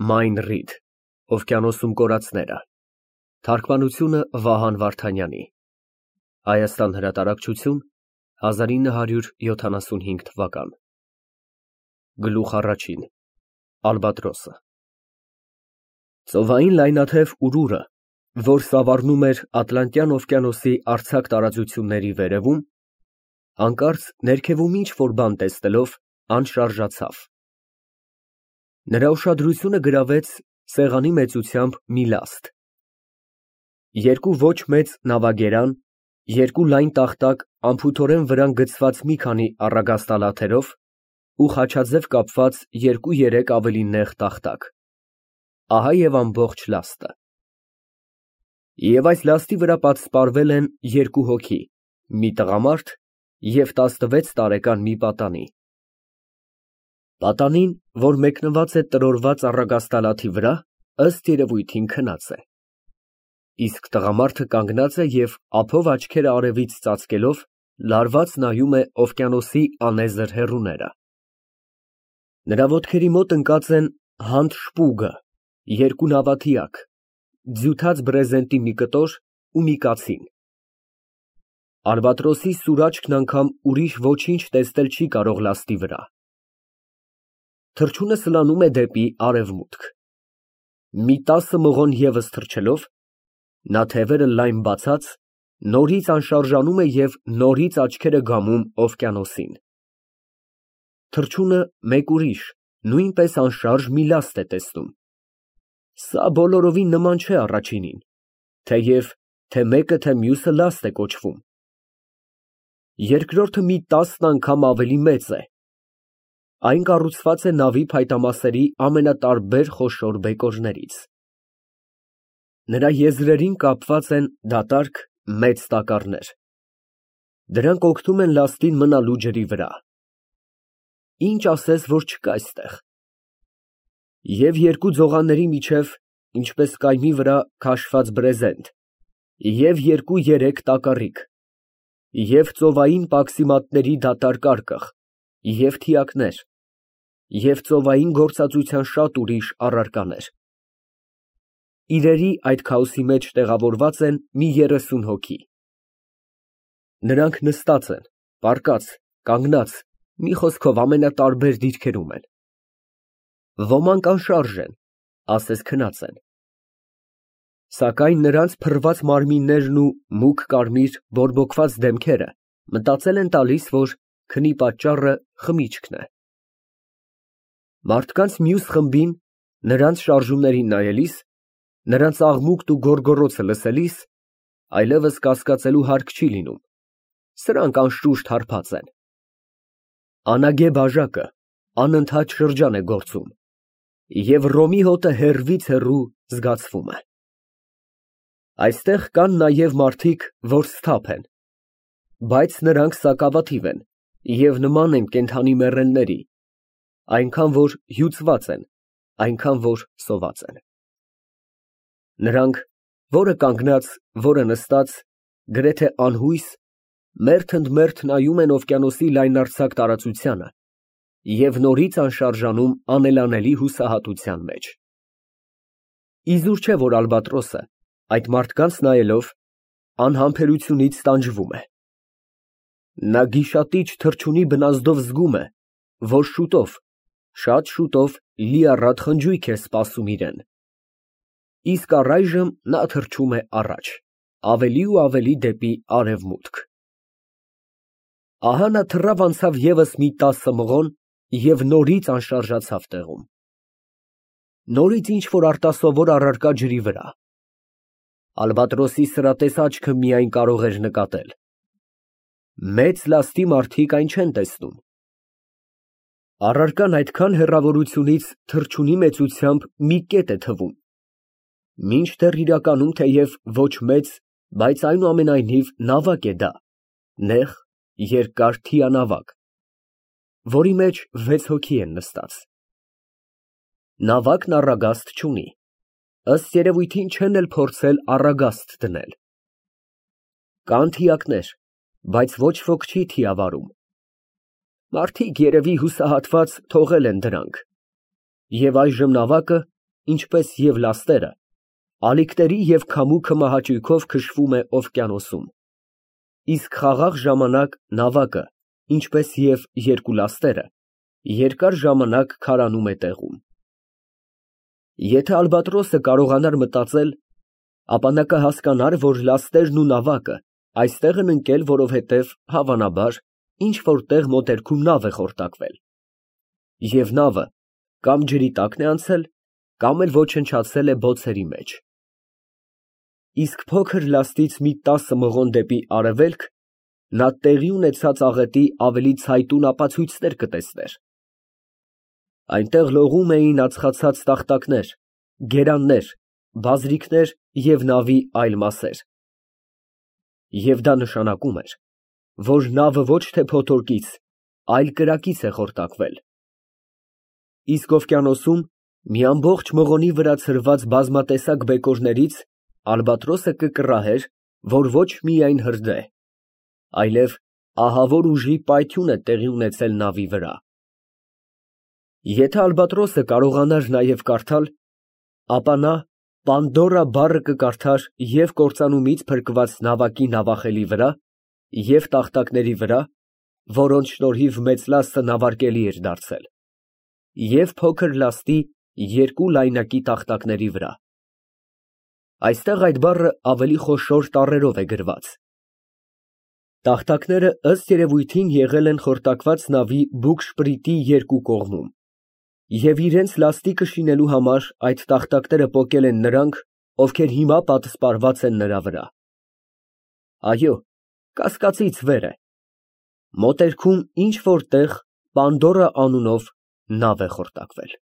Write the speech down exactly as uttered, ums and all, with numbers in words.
Մայն Ռիդ Օվկիանոսում կորածները Թարգմանությունը Վահան Վարդանյանի Հայաստան հրատարակչություն հազար ինը հարյուր յոթանասունհինգ թվական Գլուխ առաջին Ալբատրոսը Ծովային լայնաթև ուրուրը, որ սավառնում էր Ատլանտյան օվկիանոսի արձակ տարածությունների վերևում, հանկարծ ներքևում ինչ-որ բան տեսնելով անշարժացավ։ Նրա ուշադրությունը գրավեց սեղանի մեծությամբ մի լաստ։ Երկու ոչ մեծ նավագերան, երկու լայն տախտակ անփութորեն վրան գցված մի քանի առագաստալաթերով ու խաչաձև կապված երկու֊երեք ավելի նեղ տախտակ։ Ահա և ամբողջ լաստը։ Եվ այս լաստի վրա պատսպարվել են երկու հոգի, մի տղամարդ և տասնվեց տարեկան մի պատանի։ Պատանին, որ մեկնված է տրորված առագաստալաթի վրա, ըստ երևույթին քնած է, իսկ տղամարդը կանգնած է և ափով աչքերը արևից ծածկելով լարված նայում է օվկիանոսի անեզր հեռուները։ Նրա ոտքերի մոտ ընկած են հանդ շպուգը, երկու նավաթիակ, ձյութած բրեզենտի մի կտոր ու մի կացին։ Ալբատրոսի սուր աչքն անգամ ուրիշ ոչինչ տեսնել չի կարող լաստի վրա։ Թռչունը սլանում է դեպի արևմուտք։ Մի տասը մղոն ևս թռչելով, նա թևերը լայն բացած, նորից անշարժանում է և նորից աչքերը գամում օվկիանոսին։ Թռչունը մեկ ուրիշ, նույնպես անշարժ մի լաստ է տեսնում։ Սա բոլորովին նման չէ առաջինին, թեև թե մեկը, թե մյուսը լաստ է կոչվում։ Երկրորդը մի տասն անգամ ավելի մեծ է։ Այն կառուցված է նավի փայտամասերի ամենատարբեր խոշոր բեկորներից։ Նրա եզրերին կապված են դատարկ, մեծ տակառներ։ Դրանք օգնում են լաստին մնալու ջրի վրա։ Ինչ ասես, որ չկա այստեղ։ Եվ երկու ձողանների միջև, ինչպես կայմի վրա քաշված բրեզենտ, և երկու֊երեք տակառիկ, և ծովային պաքսիմատների դատարկ արկղ, և թիակներ, և ծովային գործածության շատ ուրիշ առարկաներ։ Իրերի այդ քաոսի մեջ տեղավորված են մի երեսուն հոգի։ Նրանք նստած են, պառկած, կանգնած, մի խոսքով ամենատարբեր դիրքերում են։ Ոմանք անշարժ են, ասես քնած են։ Սակայն նրանց փռված մարմիններն ու մուգ կարմիր բորբոքված դեմքերը մտածել են տալիս, որ քնի պատճառը խմիչքն է։ Մարդկանց մյուս խմբին, նրանց շարժումներին նայելիս, նրանց աղմուկն ու գոռգոռոցը լսելիս, այլևս կասկածելու հարկ չի լինում, սրանք անշուշտ հարբած են։ Անագե բաժակը անընդհատ շրջան է գործում, և Ռոմի հոտը հեռվից հեռու զգացվում է։ Այստեղ կան նաև մարդիկ, որ սթափ են, բայց նրանք սակավաթիվ են և նման են կենդանի մեռելների, այնքան որ հյուծված են, այնքան որ սոված են։ Նրանք, որը կանգնած, որը նստած, գրեթե անհույս, մերթ ընդ մերթ նայում են օվկիանոսի լայնարձակ տարածությանը և նորից անշարժանում անելանելի հուսահատության մեջ։ Իզուր չէ, որ Ալբատրոսը, այդ մարդկանց նայելով, անհամբերությունից տանջվում է։ Նա գիշատիչ թռչունի բնազդով զգում է, որ շուտով, շատ շուտով լիառատ խնջույք է սպասում իրան։ Իսկ առայժմ նա թռչում է առաջ, ավելի ու ավելի դեպի արևմուտք։ Ահա նա թռավ անցավ ևս մի տասը մղոն և նորից անշարժացավ տեղում։ Նորից ինչ֊որ արտասովոր առարկա ջրի վրա։ Ալբատրոսի սրատես աչքը միայն կարող էր նկատել։ Մեծ լաստի մարդիկ այն չեն տեսնում։ Առարկան այդքան հեռավորությունից թռչունի մեծությամբ մի կետ է թվում, մինչդեռ իրականում թեև ոչ մեծ, բայց այնուամենայնիվ նավակ է դա, նեղ, երկար թիանավակ, որի մեջ վեց հոգի են նստած։ Նավակն առագաստ չունի, ըստ երևույթին չեն էլ փորձել առագաստ դնել։ Կան թիակներ, բայց ոչ ոք չի թիավարում։ Մարդիկ երևի հուսահատված թողել են դրանք, և այժմ նավակը, ինչպես և լաստերը, ալիքների և քամուկը մահաճույքով քշվում է օվկիանոսում, իսկ խաղաղ ժամանակ նավակը, ինչպես և երկու լաստերը, երկար ժամանակ քարանում է տեղում։ Եթե ալբատրոսը կարողանար մտածել, ապա նա կհասկանար, որ լաստերն ու նավակը այստեղ են ընկել, որովհետև, հավանաբար, ինչ֊որ տեղ մոտերքում նավ է խորտակվել, և նավը կամ ջրի տակն է անցել, կամ էլ ոչնչացել է բոցերի մեջ։ Իսկ փոքր լաստից մի տասը մղոն դեպի արևելք նա տեղի ունեցած աղետի ավելի ցայտուն ապացույցներ կտեսներ. այնտեղ լողում էին ածխացած տախտակներ, գերաններ, բազրիքներ և նավի այլ մասեր։ Եվ դա նշանակում էր, որ նավը ոչ թե փոթորկից, այլ կրակից է խորտակվել։ Իսկ օվկիանոսում մի ամբողջ մղոնի վրա ցրված բազմատեսակ բեկորներից ալբատրոսը կկռահեր, որ ոչ միայն հրդեհ, այլև ահավոր ուժի պայթյուն է տեղի ունեցել նավի վրա։ Եթե ալբատրոսը կարողանար նաև կարդալ, ապա նա Պանդորա բառը կկարդար և կործանումից փրկված նավակի նավախելի վրա, և տախտակների վրա, որոնց շնորհիվ մեծ լաստը նավարկելի էր դարձել, և փոքր լաստի երկու լայնակի տախտակների վրա։ Այստեղ այդ բառը ավելի խոշոր տառերով է գրված։ Տախտակները ըստ երևույթին եղել են խորտակված նավի բուգշպրիտի երկու կողմում, և իրենց լաստիկը շինելու համար այդ տախտակները պոկել են նրանք, ովքեր հիմա պատսպարված են նրա վրա։ Այո, կասկածից վեր է, մոտերքում ինչ֊որ տեղ Պանդորա անունով նավ է խորտակվել։